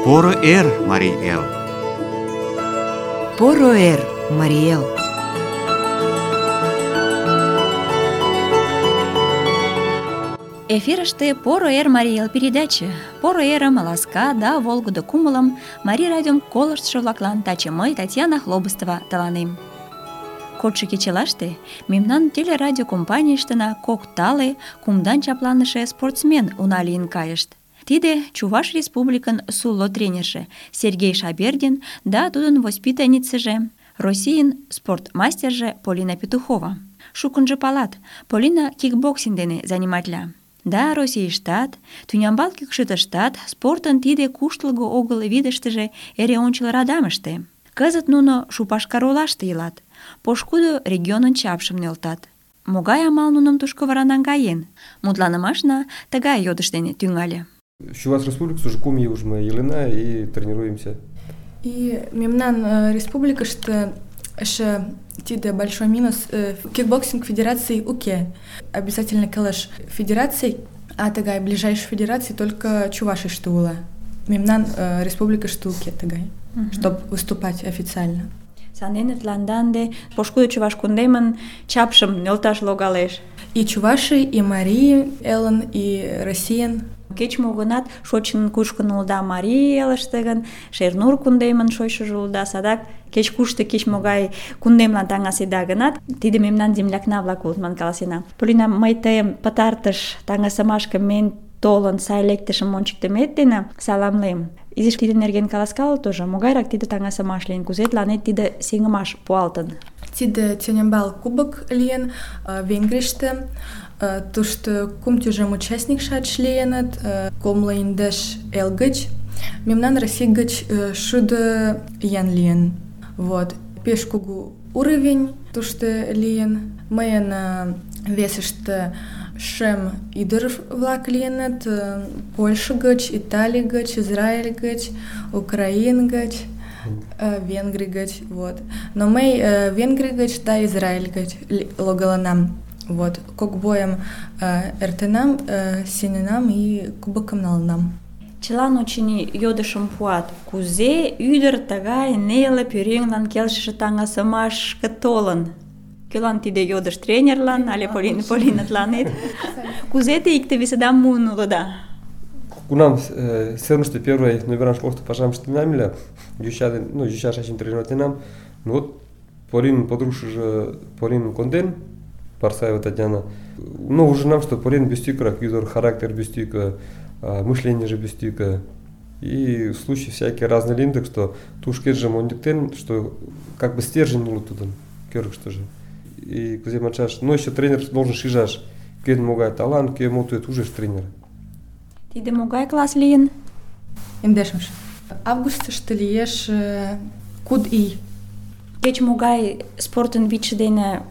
Поро эр, Марий Эл! Поро эр, Марий Эл! Эфирыште «Поро эр, Марий Эл» передаче. Поро эрым, ласка да волгыдо кумылым Марий радиом колыштшо-влаклан таче мый, Татьяна Хлобыстова, тыланем. Кодшо кечылаште мемнан телерадиокомпанийыштына кок тале, кумдан чапланыше спортсмен уна лийын кайышт. Тиде Чуваш Республикын сулло тренерже Сергей Шабердин да тудын воспитанницыже, Российын спортмастерже Полина Петухова. Шукынжо палат, Полина кикбоксинг дене заниматля. Да, Российыштат, тӱнямбал кӱкшытыштат спортын тиде куштылго огыл видыштыже эре ончыл радамыште. Кызыт нуно Шупашкар олаште илат, пошкудо регионын чапшым нӧлтат. Могай амал нуным тушко вара наҥгаен? Мутланымашна тыгай йодыш дене тӱҥале. Чуваш Республикас уже кум ий уже мы илена и тренируемся. И мемнан республикаште эше тиде большой минус кикбоксинг федерации уке. Обязательно калаш федераций, а тагай ближайшей федерации только Чувашиште ула. Мемнан республикаште уке тагай, чтобы выступать официально. Сандене тланданде пошкудо Чуваш кундемын чапшым нӧлташ логалеш. И Чуваши, и Марии Эллен, и Россиян. Кеч-мо гынат шочын-кушкын улыда Марий Элыште гын, Шернур кундемын шочшыжо улыда, садак кеч-кушто кеч-могай кундемлан таҥаседа гынат, тиде мемнан землякна-влак улыт ман каласена. Полина, мый тыйым пытартыш таҥасымашке мен толын сай лектышым ончыктымет дене саламлем. Изиш тиде нерген каласкале тоже, могайрак тиде таҥасымаш лийын, кузе тыланет тиде сеҥымаш пуалтын? Тиде тюнямбал кубок лийын Венгрийыште. Тушто кум тӱжем участник-шат лийыныт, комло индеш эл гыч. Мемнан Россий гыч шӱдӧ ян лийын. Вот. Пеш кугу уровень тушто лийын. Мыйын весыште шем ӱдыр-влак лийыныт, Польша гыч, Италий гыч, Израиль гыч, Украин гыч, Венгрий гыч. Вот. Но мый Венгрий гыч да Израиль гыч логалынам. Вот, кок бойым эртенам, сеҥенам и кубокым налынам. Чылан, очыни, йодышым пуат. Кузе ӱдыр тыгай неле пӧръеҥлан келшыше таҥасымашке толын? Кӧлан тиде йодыш, тренерлан але Полинатланет? Кузе те икте-весыдам муын улыда? Кунам сценыште первый номеран школышто пашам ыштенам ыле, йоча шачым тренироватленам. Ну вот Полинын подружшыжо Полинын конден, Парсаева Татьяна. Ну, уже нам, что Полина бестюкрак, ӱдыр, характер бестюка, мышление же бестюка. И случаи всякие разные лин, так что тушкет же мондиктен, что как бы стержень улы тудын, кёрк что же. И кузе манчаш, ну еще тренер должен шижаш, кӧн могай талант, кӧ мотует уже тренер. Тиде могай класс лийын? Индешмыш. Августыште лиеш куд ий. Кеч-могай спортын вичше дене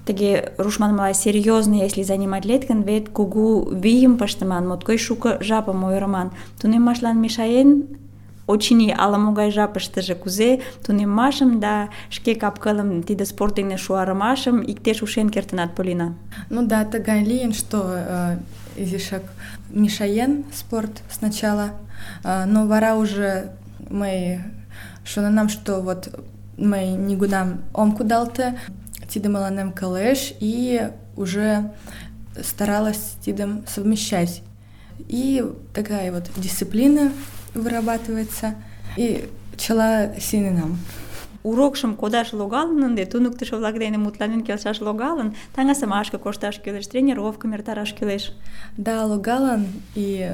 тыге руш манмыла серьёзный, если заниматлет гын, вет кугу вийым пыштыман, моткоч шуко жапым ойырыман. Тунеммашлан мешаен, очыни, ала-могай жапыштыже кузе тунеммашым да шке кап-кылым тиде спорт дене шуарымашым иктеш ушен кертынат, Полина? Ну да, тыгай лийын, что изишак мешаен спорт сначала, но вара уже мый шоненам, что вот мый нигунам ом кудалте, тидем мыланем кылеш, и уже старалась тидем совмещать. И такая вот дисциплина вырабатывается, и чыла сеҥенам. Урокшым кодаш логалын ынде, туныктышо-влак дене мутланен келшаш логалын, таҥасымашке кошташ кӱлеш, тренировкым эртараш кӱлеш. Да, логалын, и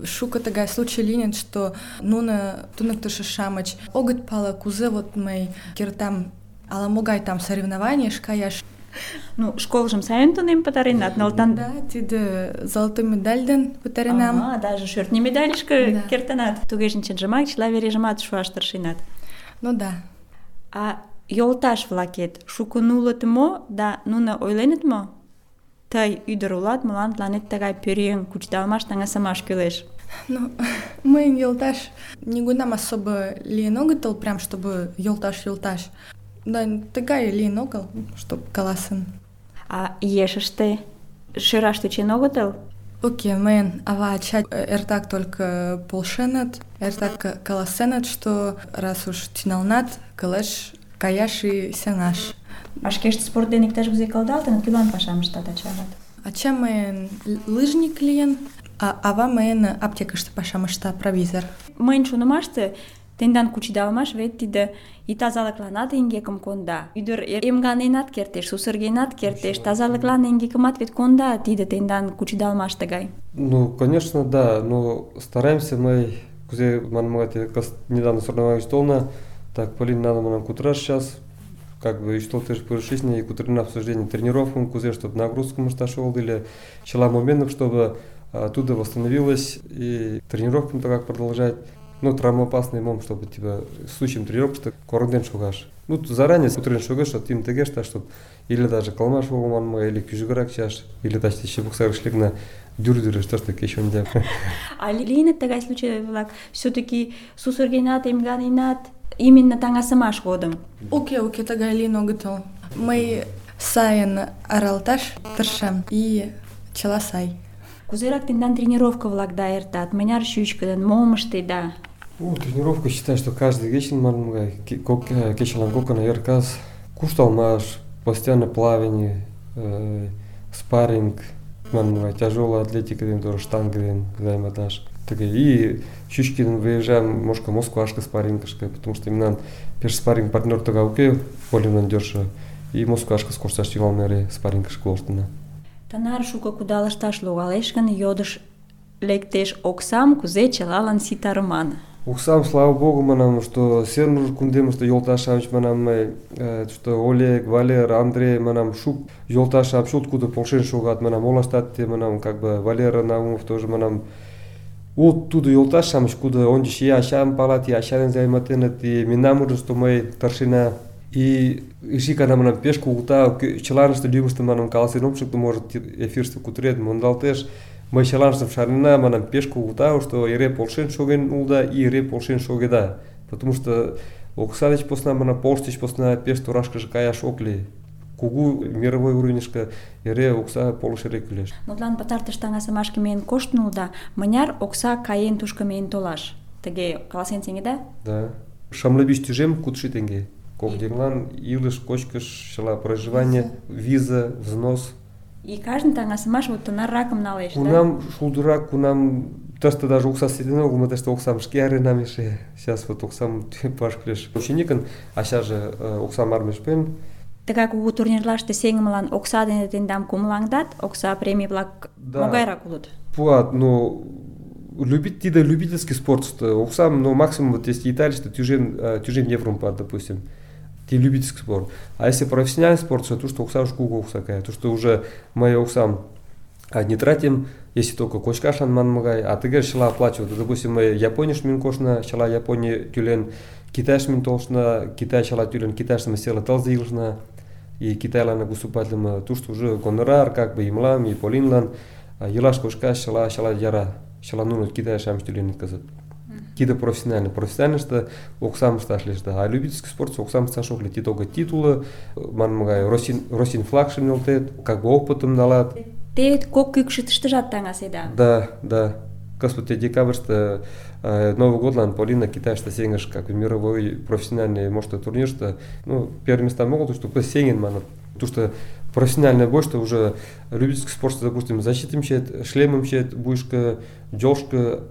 шуко тыгай случай лийын, что нуно туныктышо-шамыч огыт пале, кузе вот мый кертам ала-могай там соревнованийыш каяш. Ну, школжым сайын тунем пытаренат, нылтан. Да, тиде золотой медаль ден пытаренам. Даже шӧртньӧ медальышке кертынат. Тугеже чынжымак чыла вережымат шуаш тыршенат. Ну да. А йолташ-влакет шукын улыт мо, да нуно ойленыт мо? Тый ӱдыр улат, мылам тыланет тыгай пӧръеҥ кучедалмаш, таҥасымаш кӱлеш. Ну, мыйын йолташ нигунам особо лийын огытыл, прям чтобы йолташ. Да, тыгай лийын огыл, чтоб каласын. А ешыште шӧраш тӧчен огытыл? Окей, мыйын ава-ача эртак только полшеныт, эртак каласеныт, что раз уж тӱҥалынат, кылеш каяш и сеҥаш. А шкешт спорт дене иктаж-кузе кылдалтыныт, кӧлан пашам ыштат ача-ават? Ача мыйын лыжник лийын, а ава мыйын аптекыште пашам ышта, провизор. Мыйын шонымаште, тендан кучедалмаш вет тиде и тазалыкланат эҥгекым конда. Ӱдыр эмганенат кертеш, сусыргенат кертеш, тазалыклан эҥгекымат вет конда тиде тендан кучедалмаш тыгай. Ну, конечно, да, но стараемся мы, кузе манмагате, недавно соревновались толна, так, Полин, надо нам кутра сейчас, как бы, и что ты же порушишь, и кутрина обсуждение тренировкам, кузе, чтобы нагрузку мы шташол, или чела моментов, чтобы оттуда восстановилась, и тренировкам так как продолжать. Ну, травмоопасный мом, чтобы тебя случаем тренировок, что корден шугаш. Ну, заранее утрен шугаш, что тим тегеш, чтобы или даже калмаш волманма, или кюжграк чаш, или даже еще буксар шлигна дюрдюры, что такое еще не делать. А лийнет тыгай случай-влак все-таки сусыргенат, эмганенат именно таҥасымаш годым? Уке, тыгай лийын огытыл. Мый сайын аралташ тыршем, и чыла сай. Кузерак тендан тренировка-влак да эртат? Мыняр чӱчкыдын, мом ыштеда? Тренировка, считаю, что каждый вечер, кечелан кокона эркас, кушталмаш, постоянно плавание, спарринг, тяжелая атлетика, тоже штанга, займатаж. И чуть-чуть выезжаем, может, Москвашка спаррингашка, потому что именно первый спарринг партнер тога уке, Полин дёрша, и Москвашка скоросташ тивалмере спаррингашка колштына. Тынар шуко кудалышташ логалеш гын, йодыш лектеш: оксам кузе чылалан ситарыман? Оксам, слава богу, манам, что сернур кундем, что Йолташевич, манам, что Олег, Валер, Андрей, манам, шук Йолташев, шут куда полшен шугат, манам, Олаштатте, манам, как бы Валера Наумов тоже, манам, вот туда Йолташевич, куда он дишь я шам палати, я шарен займатенет, и минамур, что мы торшина. И шикана манам пешку ута, челанышты любышты манам каласен что может эфирство кутрет, мондалтеш. Мы челанышты шарина манам пешку ута, что ире полшен шоген улда, и ире полшен шогеда. Потому что оксадыч посна манам полштыч посна пеш турашка же каяш окли. Кугу мировой уровеньшка ире окса полшере күлеш. Мутлан пытартыш таҥасымашке миен коштын улыда, мыняр окса каен тушко миен толаш? Тыге каласен сеҥеда? Да. Шамлыбиш тӱжем 500 тенге. Когденлан, илыш, кочкыш, чыла проживание, виза, взнос. И каждый таҥасымаш вот тынарракым налеш, да? Кунам шулдурак, кунам тышты даже окса сетен огыл, мы тышты оксам шке аренам еше. Сейчас вот оксам паш кілеш. Ученикын, а сейчас же оксам армеш пен. Тыгай кугу турнирлаште сеҥымылан окса дене тендам кумылаҥдат, окса премий-влак могайрак улыт? Пуат, но тиде любительский спорт, что оксам, но максимум вот если Италия, что тюжем евро пад, допустим. Ти любительский спорт. А если профессиональный спорт, то что окса уж кугу окса кая, то что уже мы оксам не тратим, если только кочкашан манмагай, а ты говоришь, шла оплачивать. Допустим, мы Япония шминкошна, шла Япония тюлен, Китай шминтолшна, Китай шла тюлен, Китай шмисела талзилшна, и Китай лана гусупатлема, то что уже гонорар, как бы имлам, и полинлан, елаш кошка шла яра, шла нунут Китай шам тюлен казат. Кида профессионально, что оксам сташлиш, да, а любительский спорт оксам сташокли, ти только титулы, манмагай, Росин флаг шемнелтет, как бы опытом налад. Те кок кӱкшытыштыжат таҥаседа? Да. Господи, декабрьста Новый год лан Полина Китайшта сенгаш, как мировой профессиональный, может, турнир, что, ну, первые места могут, что кто сенген, манат, то что профессиональный бой, что уже любительский спорт, что, допустим, защитим щет, шлемом щет, бушка, джошка,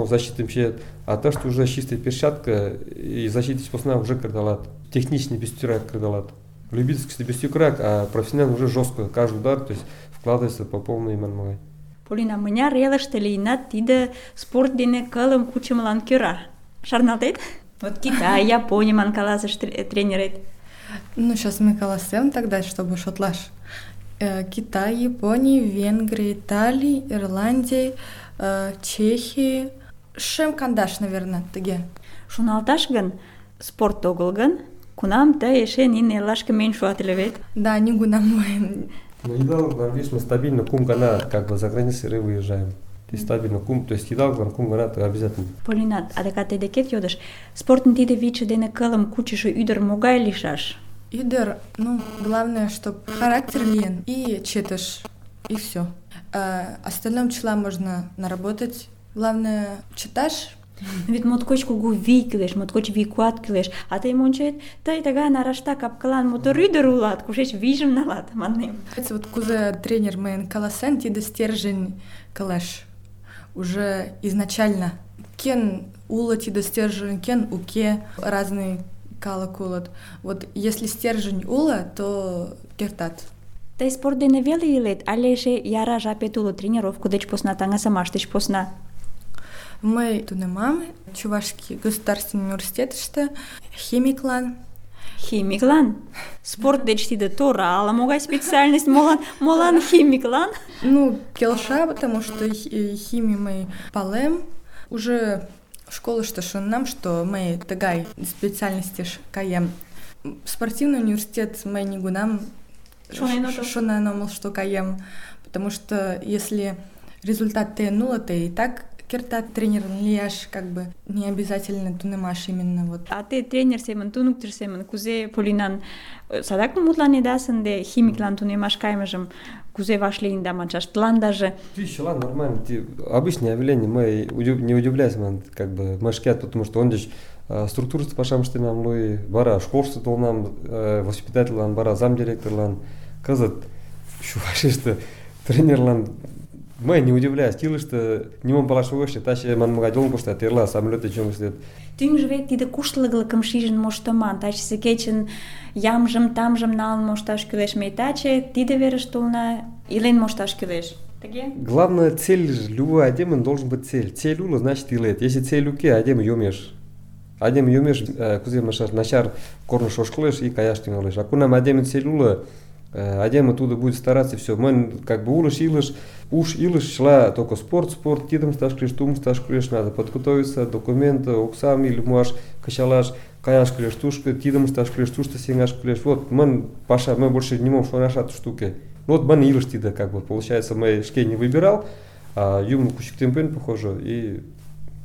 защитим щет, а то, что уже чистая перчатка и защитить посна уже кардалат, техничный бестюрак кардалат. Любительский бестюрак, а профессиональный уже жестко, каждый удар, то есть вкладывается по полной манмагай. Полина, мыняр элыште лийынат тиде спорт дене кылым кучымылан кӧра? Шарналтет? Вот Китай, Япония ман каласыш тренерет. Ну, сейчас мы каласем тогда, чтобы шотлаш. Китай, Япония, Венгрия, Италия, Ирландия, Чехия. Шем кандаш, наверное, тыге. Шоналташ гын, спорт огыл гын, кунам тый эше нине эллашке миен шуат ыле вет? Да, нигунам мыйын. Ну, едал, видишь, мы стабильно кум-гана, как бы за границей выезжаем. И стабильно кум, то есть едал, кум-гана, то обязательно. Полина, адакат тый декет йодыш, спортын тиде виче дене кылым кучышо ӱдыр могай лийшаш? Ӱдыр, ну, главное, чтоб характер лийын и четыш, и все. Остальном числа можно наработать. Главное читаш. Вет моткоч кугу вий кӱлеш, моткоч вий куат кӱлеш. А тый мончет, тый тыгай нарашта капкылан мотор ӱдыр улат, кушеч вийжым налат, маннем. Вот кузе тренер мыйын каласен, тиде стержень кылеш. Уже изначально. Кен уло тиде стержень, кен уке, разный калык улыт. Вот если стержень уло, то кертат. Тый спорт дене веле илет, але эше яра жапет уло тренировко деч посна, таҥасымаш деч посна? Мый тунемам Чувашский государственный университетыште химиклан. Химиклан? Спорт деч тиде тора, ала-могай специальность, молан химиклан? Ну, келша, потому что химию мый палем. Уже школышто шоненам, что мый тыгай специальностеш каем. Спортивный университет мый нигунам шонен омыл, что каем. Потому что если результат тыйын уло, ты и так кертат тренерын лияш, как бы не обязательно тунемаш именно вот. А те тренер семын, туныктыш семын, кузе Полинан садак мутланедас ынде химиклан тунемаш кайымыжым кузе вашлийында маншаш, тыландаже? Чылан нормально. Обычное явление. Мы не удивляемся, как бы мы шкят, потому что он здесь структурасы пашам штенам лой, бара школшты толнам, воспитательлан, бара замдиректорлан, кызыт шувашишты тренерлан. Мы не удивляюсь, тилышты нимом палаш огеш, таче манмага жолын коштат, эрла самолёте чоң иштет. Тӱҥжӧ вет тиде куштылгылыкым шижын моштыман. Тачысе кечын ямжым, тамжым налын мошташ кӱлеш. Ме таче тиде верыш толна, илен мошташ кӱлеш. Тыге? Главная цель любой адемын должен быть цель. Цель уло, значит илет. Если цель уке, адем йомеш. Адем йомеш, кузе машар начар корныш ошкылеш и каяш тӱҥалеш. А кунам адемын цель уло, адем оттуда будет стараться, все. Мы как бы уж илыш, шла только спорт, тидом сташ клеш, тум сташ клеш, надо подготовиться, документы, оксам или муаш, качалаш, каяш клеш, тушка, тидом сташ клеш, тушта сенгаш клеш. Вот мы больше не можем шонашать штуки. Вот мы илыш тида, как бы, получается, мы шке не выбирал, а юму кучик темпен, похоже, и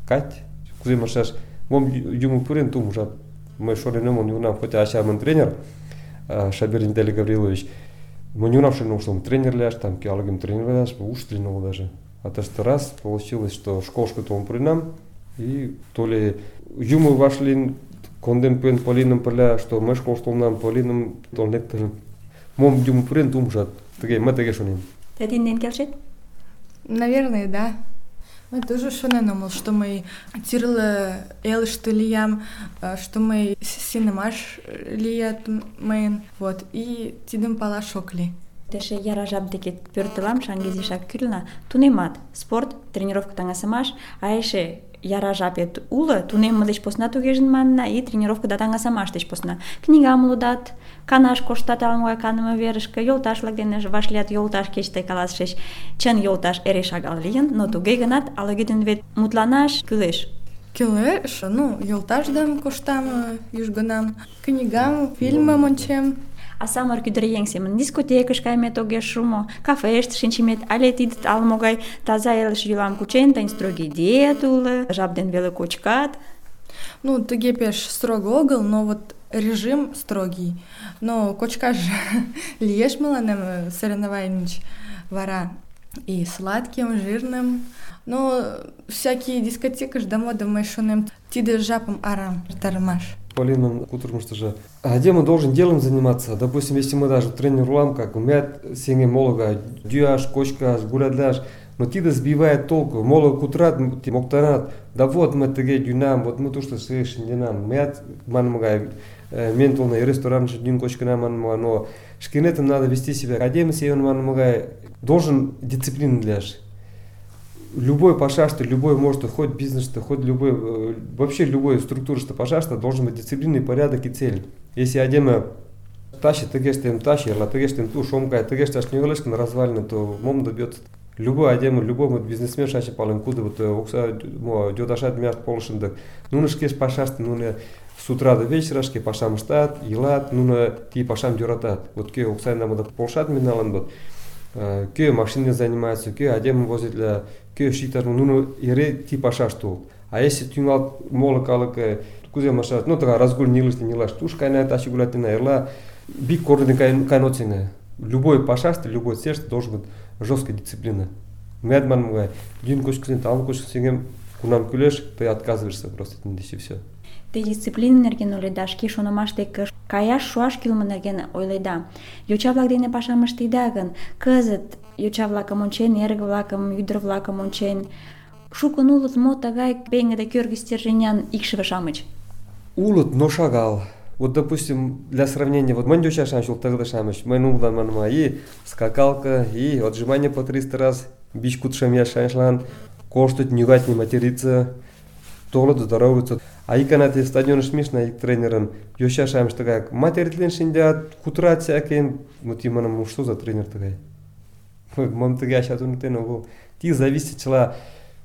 кать, кузе машаш, мом юму пурен, тум уже, мы шоренем, он не унам, хотя ачамын тренер, Шабир Виталий Гаврилович, мы не унавшим, что он тренер ляж, там киалогим тренер ляж, уж тренировал даже. А то что раз получилось, что школшка-то он при нам, и то ли юму вошли, конден пен полином поля, что мы школшку нам полином, то он лектором. Мом юму прин думжат, мы таки шуним. Ты один келшет? Наверное, да. Мы тоже шоненомыл, что мы тирлы элышты лиям, что мы синемаш лият мейн, вот, и тидым пала шокли. Теше яра жап деке пӧртылам, шаҥгезешак кӱлна, тунемат, спорт, тренировка таҥасымаш, а эше яра жапет уло, тунемме деч посна тугежын манна, и тренировка да таҥасымаш деч посна. Книгам лудат, канаш коштат ала-могай каныме верышке, йолташ-влак дене вашлият, йолташ кеч тый каласышыч. Чын йолташ эре шагал лийын, но туге гынат ала-кӧ дене вет мутланаш кӱлеш. Кӱлеш, ну, йолташдам коштам южгунам, книгам, фильмым ончем. А самырык ӱдыръеҥ семын дискотекыш каймет огеш шу мо, кафеште шинчымет, але тиде ала-могай таза илыш йӱлам кучен, тыйын строгий диет уло, жап ден веле кочкат. Ну, тыге пеш строго огыл, но вот режим строгий. Но кочкаш лиеш мыланем соревнований вара и сладким, жирным. Но всякие дискотекыш да мода мый шонем, тиде жапым арам тармаш. Полина, утром что же, адем должен делом заниматься. Допустим, если мы даже тренер улам, как умеет сенге молога, дюаш, кочкаш, гулядлаш, но тида сбивает толку. Молог кутрат, моктанат, да вот мы теге дюнам, вот мы то, что слышим дюнам, мят манмагай, ментолный ресторан, дюн кочка нам манмага, но шкинетом надо вести себя. Адем сеен манмагай должен дисциплину дляш. Любой пашашта, любой может, хоть бизнес, хоть любой, вообще любой структура, что пашашта, должен быть дисциплинный порядок и цель. Если адема тащит, тегештем тащит, а тегештем ту шомкай, тегешташ не на развалины, то мом добьется. Любой адема, любой бизнесмен шаши пален куда вот окса дёдашат мяст полшиндак. Ну шкеш пашашта, ну с утра до вечера шке пашам штат, елат, ну ти пашам дюратат. Вот ке окса нам это полшат миналан вот. Ке машиной занимается, ке адема возит для ке шитар, ну ире ти пашаш тул. А если тюнгал молокалык, кузе машаш, ну така разгуль не лишь не лаш, туш кайна тащи гулятина, эрла биг корден кайноцина. Любой пашаш, любой сердце должен быть жесткая дисциплина. Мыят манмыгай, дюн кочкысен, талын кочкысен, кунам кӱлеш, ты отказываешься просто, и все. Те дисциплина нерген ойледа, шке шонымаштек каяш шуаш кӱлмӧ нерген ойледа. Йоча-влак дене пашам ыштеда гын, кызыт йоча-влакым ончен, эрге-влакым, ӱдыр-влакым ончен, шукын улыт мо тыгай пеҥгыде кӧргӧ стерженян икшыве-шамыч? Улыт, но шагал. Вот, допустим, для сравнения, вот мань йоча-шамыч, ултыгыды-шамыч, мыйын улдан манма, и скакалка, и отжимание по 300 раз, бич кутшам яшаншлан, коштуть, нюгать, не материться, толыт, здороваются. А иканате стадионы смешно, и тренерын йоча-шамыч тыгай, материтлен шиндят, кутырат всякие, вот именно, что за тренер тыгай? Мам тыгай ачат унутен огыл. Ти зависит чыла,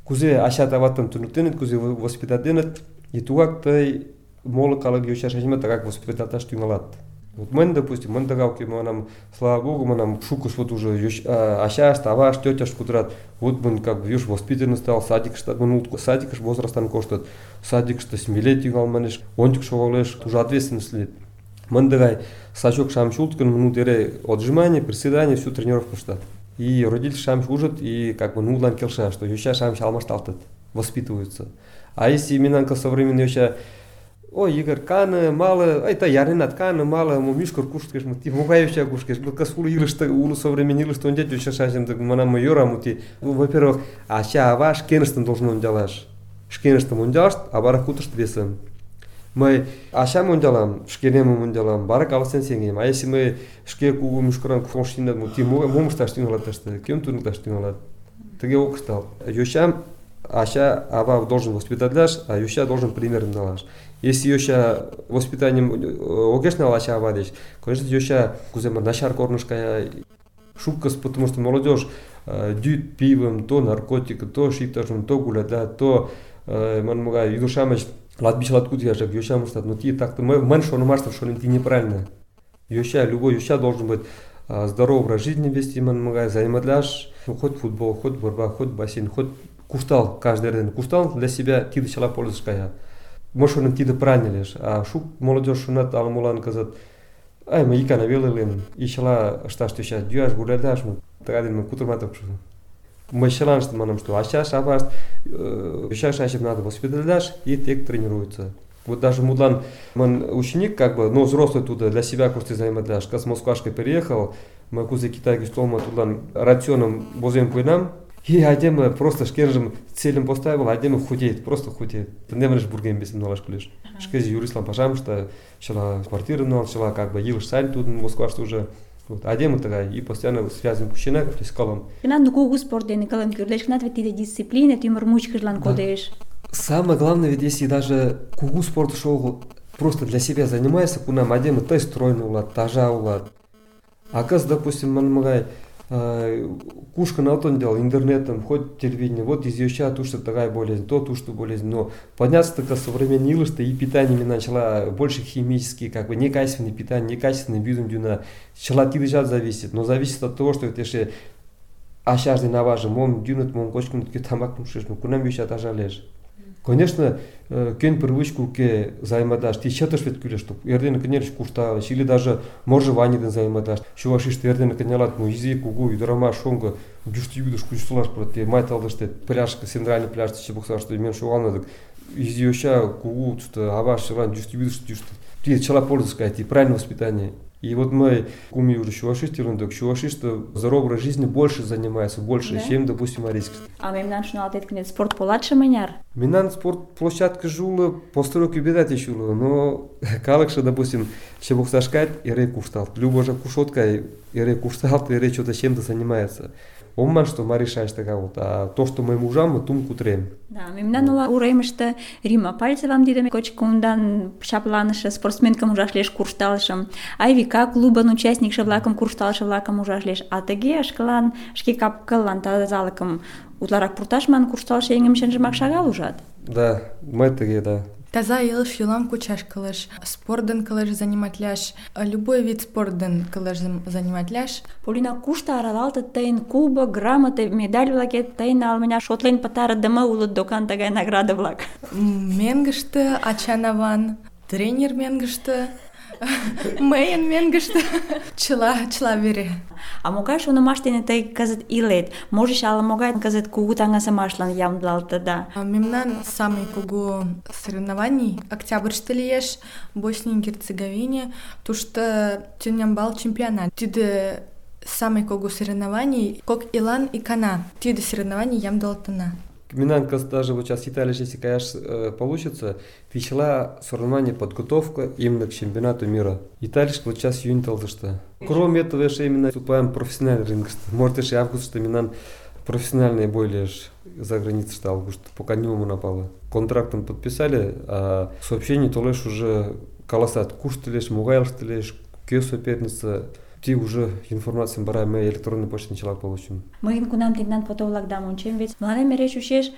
кузе ачат аваттан тунуктенет, кузе воспитатенет, и тугак тый молы калык йоча-шамычым тыгак воспитатлаш тӱҥалат. Вот мын, допустим, мын тыгак манам, слава богу, манам, шукыш вот уже ачашт, авашт, тетяшт кутырат. Вот мын как бы, виш, воспитанный стал, садикышта, мын садикыш возрастан коштат, садикышта смелее тӱҥал манеш, ончык шогалеш, уже ответственность лийыт. Мын тыгай сачок-шамыч улыт гын, мын эре отжимание, приседание, всю тренировку ыштат. И родитель-шамыч ужыт, и как бы нунлан келша, что йоча-шамыч алмашталтыт, воспитываются. А если именно современный йоча, ой, Игорь, каны, мало, это яринат, каны, мало, мишкор кушкеш, мути, мугаевича кушкеш, касулу илышты, улу современный илышты, он дядь йоча-шамыч, манам майора, мути. Во-первых, ача, аваш, кенестен должен он делаш. Шкенестен он делаш, а бара кутышт весом. Мы ачам он делам, шкенем он делам, бара каласен сенгем. А если мы шке кугу мишкоран кушкеш, мути, мумышташ тӱҥалат, кем туныкташ тӱҥалат. Тыге ок ыштал. Йочам ача, ава должен воспитатлаш, а йоча должен примером налаш. Если йоча воспитанием огеш нал ача, ава деч, конечно, йоча кузема начар корныш кая, шуккас, потому что молодежь дүйт пивом, то наркотик, то шипташым, то гуляда, то манмугай ӱдыр-шамыч латбичлат кутяшак йочам ыштат. Но ти так-то мын шонымаштым шонем, ти неправильно. Йоча, любой йоча должен быть здоровый образ жизни вести, манмугай, заниматляш, хоть футбол, хоть борьба, хоть бассейн, хоть куштал, каждый день куштал для себя, ти да чала пользуешь кая. Может, он ти да правильно лишь, а шук молодежь шунат алмулан казат, ай, мы икана велелем, и чала шташ ты сейчас дюаш гулядаш, мы тогда мы кутурматов шуну. Мы чалан что манам что, а сейчас аваст, сейчас надо воспиталяш и тек тренируется. Вот даже мудлан, ученик как бы, но взрослый туда для себя кушты заиматляш, как с Москвашкой переехал, мы кузе Китайки столма тудлан рационом возим по нам. И адемы просто шкенжем целым поставил, адемы худеет, просто худеет. Не можешь бургем без налаш кулеш. Шкези юрислам пожам, что шла квартира, но шла как бы елыш сань тут в Москва что уже. Вот адемы такая и постоянно связан кучина, то есть колом. Надо кугу спорт день колом кюрлеш, надо ведь дисциплина, ты мурмучка жлан кодеш. Самое главное, ведь если даже кугу спорт шоу просто для себя занимается, кунам адемы той стройный улад, тажа улад. А каз, допустим, манмагай кушка на то делал интернетом, хоть телевидение, вот из йоча то, что такая болезнь, то, что болезнь. Но подняться так современный илышты и питание начала больше химические, как бы некачественное питание, некачественный видом дюна. Начала тидыжат зависит, но зависит от того, что это еще ашажды наважы, мом дюнат, мом кочкам тамак мушеш, ну кунам йоча тажа лежь. Конечно, кен привычку к займадаш, ти чаташ вет кюлеш, что эрден конерч кушталыш, или даже моржеваниеден займадаш. Чувашиш эрден конялат, ну изи кугу, и драма шонга, дюшти юдаш кучсулаш проти, майталдаште пляжка, центральный пляж, че бухсар, что имен шуална, изи йоща кугу, что аваш шеван, дюшти юдаш, дюшти. Ти чала пользоваться, сказать, и правильное воспитание. И вот мы куми уже чувашиш, что здоровый образ жизни больше занимается, больше, да? Чем, допустим, арийский. А мемнан шуналатет кнет спорт поладше маняр? Мемнан спорт площадка жула, постройки бедати жула, но калыкша, допустим, ще бухсашкать, и рей куштал. Любо же кушотка, и рей куштал, и рей что-то чем-то занимается. Омман, что мы решаешь такая вот, а то, что мы мужам, мы тум кутрем. Да, мемнан ула ураймышты Рима Пальцевам дидами кочкумдан шапланышы спортсменкам ужашлеш куршталышым, Айвика клубан участникшы-влакым куршталышы-влакым ужашлеш, а тыге ашкылан шке капкыллан тазалыкым утларак пурташман куршталышы эҥемченжымак шагал ужат. Да, мы тыге, да. Таза илыш юлам кучаш кылыш, спортден кылыш заниматляш, любой вид спортден кылыш заниматляш. Полина, кушта аралалтыт тыйын кубок, грамоты, медаль-влакет тыйын алмыня шотлен пытарыдыме улыт докан тыгай награда-влак? Меҥгыште ачанаван, тренер меҥгыште, Мыйын мӧҥгыштӧ чыла вере. А могай шонымаш дене тый кызыт илет? Можыч, ала-могай кызыт кугу таҥасымашлан ямдылалтыда? Мемнан самый кугу соревнований октябрьыште лиеш, Боснии и Герцеговине, тушто тӱнямбал чемпионат. Тиде самый кугу соревнований кок илан икана. Тиде соревнований ямдылалтына. Мемнан кызыт даже вот сейчас Италия, если каяш получится, весела соревнование подготовка именно к чемпионату мира. Италия вот сейчас июнь толдышта. Кроме этого, еще именно выступаем профессиональный рынок. Может, еще август, что мемнан профессиональные более за границей, что август, пока не напало. Контрактом подписали, а сообщение то лишь уже колоссат. Куштылеш, мугайлштылеш, кё соперница. Ти уже информацию бара ме электронный почта начала получим. Мыйын кунам тендан фото-влакдам ончем, вет мыланем эре чучеш,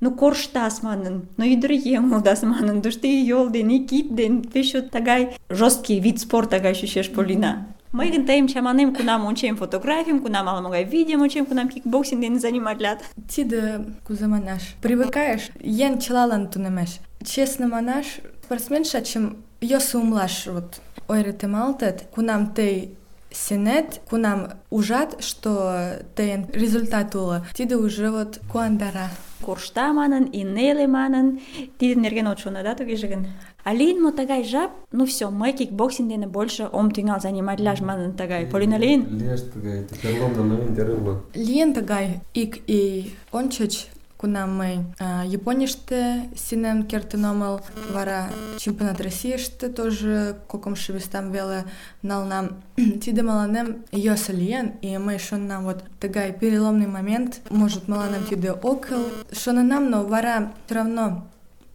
корштас манын, ӱдыръеҥ улдас манын, тушто и йол ден, и кид ден, пеш чот тыгай жесткий вид спорта гай чучеш, Полина. Мый гын тыйым чаманем, кунам ончем фотографийым, кунам ала-могай видеом ончем, кунам кикбоксинг дене заниматлат. Тиде кузе манаш, привыкаеш, еҥ чылалан тунемеш. Честно манаш, спортсменша чым йӧсӧ умылаш вот ойыртемалтыт, кунам тый сенет, кунам ужат, что тыйын результат уло, тиде уже вот куандара. Коршта манын, и неле манын, тидын нерген от шоно, да, тугеже гын? А лийын мо тыгай жап, все, мый кикбоксинг дене больше ом тӱҥал заниматлаш манын тыгай. Полина, лийын? Лиеш тыгай, переломный момент эрыло. Лийын тыгай ик ий ончыч, кунам мый Японийыште сеҥен кертын омыл, вара чемпионат Российыште тоже кокымшо местам веле налынам. Тиде мыланем йӧсӧ лийын, и мый шоненам, вот тыгай переломный момент, может, мыланем тиде ок кӱл. Шоненам, но вара все равно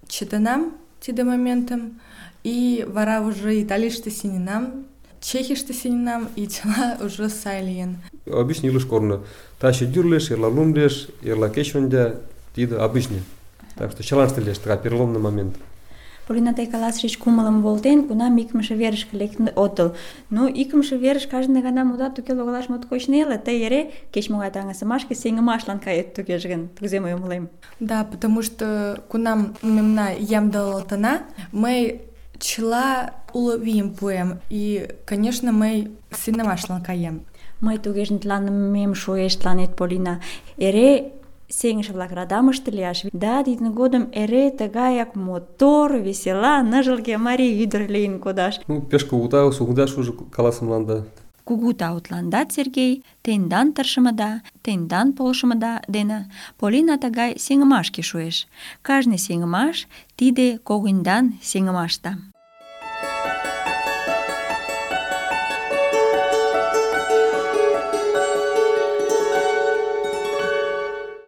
чытенам тиде моментым, и вара уже Италийыште сеҥенам, Чехийыште сеҥенам, и чыла уже сай лийын. Обычный илыш корно. Таче дюрлеш, эрла лумлеш, эрла кечвондя, тиде обычный. Так что чылаште лиеш тыгай переломный момент. Полина, тый каласышыч кумылым волтен, кунам икымше верышке лектын отыл. Икымше верыш кажне гана модат, туге логалаш моткоч неле, тый эре кеч-могай таҥасымашке сеҥымашлан кает тугеже гын, кузе мый умылем. Да, потому что кунам мемна ямдылалтына, мый чыла уло вийым пуэм, и, конечно, мый сеҥымашлан каем. Мый тугеже тыланымем шуэш тыланет, Полина. Эре сеҥыше-влак радамыште лияш. Да, тидын годым эре тыгаяк мотор, весела, ныжылге марий ӱдыр лийын кодаш. Пеш кугу тау, сугдаш уже каласымланда. Кугу тау тыландат, Сергей, тендан тыршымыда, тендан полшымыда дене Полина тыгай сеҥымашке шуэш. Кажне сеҥымаш — тиде когыньдан сеҥымашда.